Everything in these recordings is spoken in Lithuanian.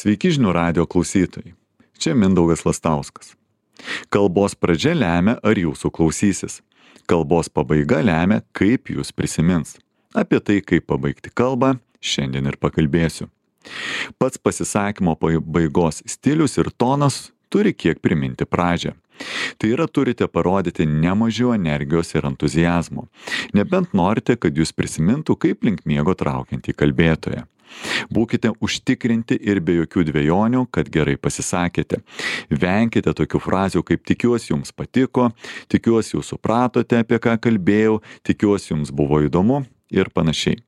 Sveiki žinių radijo klausytojai. Čia Mindaugas Lastauskas. Kalbos pradžia lemia, ar jūsų klausysis. Kalbos pabaiga lemia, kaip jūs prisimins. Apie tai, kaip pabaigti kalbą, šiandien ir pakalbėsiu. Pats pasisakymo pabaigos stilius ir tonas turi kiek priminti pradžią. Tai yra, turite parodyti ne mažiau energijos ir entuzijazmo. Nebent norite, kad jūs prisimintų, kaip link miego traukiantį kalbėtoją. Būkite užtikrinti ir be jokių dvejonių, kad gerai pasisakėte. Venkite tokių frazių kaip tikiuosi jums patiko, tikiuosi jūs supratote, apie ką kalbėjau, tikiuosi jums buvo įdomu ir panašiai.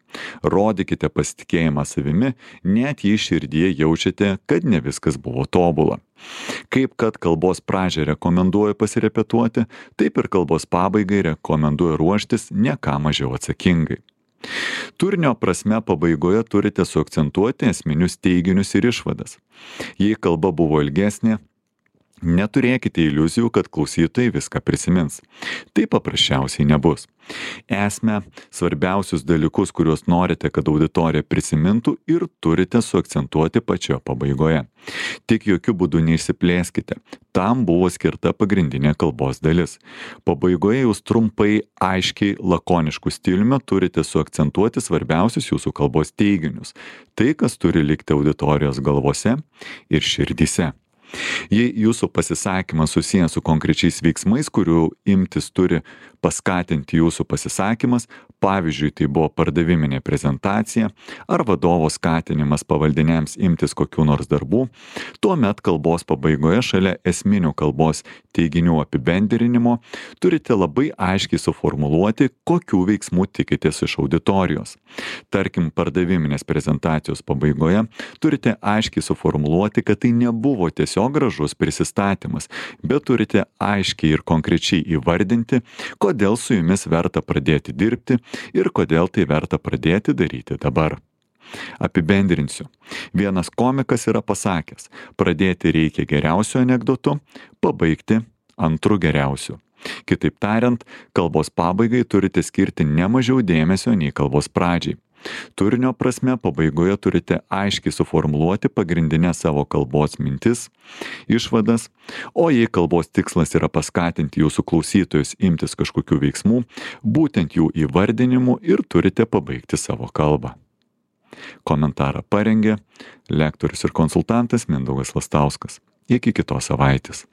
Rodykite pasitikėjimą savimi, net jei širdyje jaučiate, kad ne viskas buvo tobula. Kaip kad kalbos pradžią rekomenduoju pasirepetuoti, taip ir kalbos pabaigai rekomenduoju ruoštis ne ką mažiau atsakingai. Turinio prasme pabaigoje turite suakcentuoti esminius teiginius ir išvadas. Jei kalba buvo ilgesnė, neturėkite iliuzijų, kad klausytojai viską prisimins. Tai paprasčiausiai nebus. Esmę, svarbiausius dalykus, kuriuos norite, kad auditorija prisimintų, ir turite suakcentuoti pačioje pabaigoje. Tik jokių būdų neišsiplėskite. Tam buvo skirta pagrindinė kalbos dalis. Pabaigoje jūs trumpai, aiškiai, lakoniškų stiliumi turite suakcentuoti svarbiausius jūsų kalbos teiginius. Tai, kas turi likti auditorijos galvose ir širdyse. Jei jūsų pasisakymas susijęs su konkrečiais veiksmais, kurių imtis turi paskatinti jūsų pasisakymas, pavyzdžiui, tai buvo pardaviminė prezentacija ar vadovo skatinimas pavaldiniams imtis kokių nors darbų, tuomet kalbos pabaigoje šalia esminių kalbos teiginių apibendrinimo turite labai aiškiai suformuluoti, kokių veiksmų tikitės iš auditorijos. Tarkim, pardaviminės prezentacijos pabaigoje turite aiškiai suformuluoti, kad tai nebuvo tiesiog gražus prisistatymas, bet turite aiškiai ir konkrečiai įvardinti, kodėl su jumis verta pradėti dirbti ir kodėl tai verta pradėti daryti dabar. Apibendrinsiu. Vienas komikas yra pasakęs, pradėti reikia geriausiu anekdotu, pabaigti antru geriausiu. Kitaip tariant, kalbos pabaigai turite skirti ne mažiau dėmesio nei kalbos pradžiai. Turinio prasme pabaigoje turite aiškiai suformuluoti pagrindinę savo kalbos mintis, išvadas, o jei kalbos tikslas yra paskatinti jūsų klausytojus imtis kažkokių veiksmų, būtent jų įvardinimu ir turite pabaigti savo kalbą. Komentarą parengė lektorius ir konsultantas Mindaugas Lastauskas. Iki kitos savaitės.